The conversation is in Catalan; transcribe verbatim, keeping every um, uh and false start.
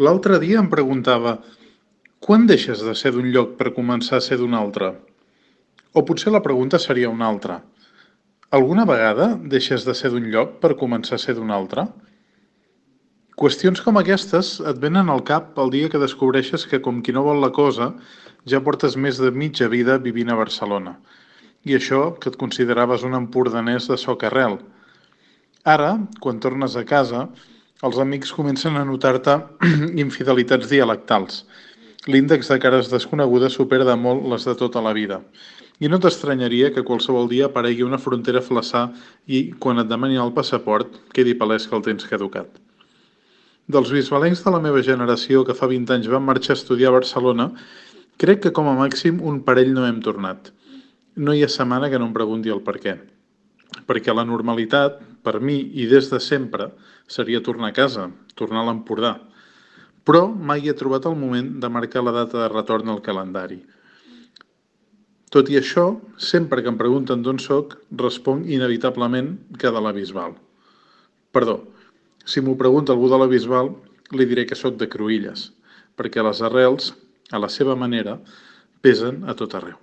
L'altre dia em preguntava: quan deixes de ser d'un lloc per començar a ser d'un altre? O potser la pregunta seria una altra: alguna vegada deixes de ser d'un lloc per començar a ser d'un altre? Qüestions com aquestes et venen al cap el dia que descobreixes que, com qui no vol la cosa, ja portes més de mitja vida vivint a Barcelona. I això que et consideraves un empordanès de soca-rel. Ara, quan tornes a casa, els amics comencen a notar-te infidelitats dialectals. L'índex de cares desconegudes supera de molt les de tota la vida. I no t'estranyaria que qualsevol dia aparegui una frontera a flaçar i, quan et demanin el passaport, quedi palès que el tens caducat. Dels bisbalencs de la meva generació que fa vint anys van marxar a estudiar a Barcelona, crec que com a màxim un parell no hem tornat. No hi ha setmana que no em pregunti el per què. Perquè la normalitat, per mi i des de sempre, seria tornar a casa, tornar a l'Empordà. Però mai he trobat el moment de marcar la data de retorn al calendari. Tot i això, sempre que em pregunten d'on soc, responc inevitablement que de la Bisbal. Perdó, si m'ho pregunta algú de la Bisbal, li diré que soc de Cruïlles, perquè les arrels, a la seva manera, pesen a tot arreu.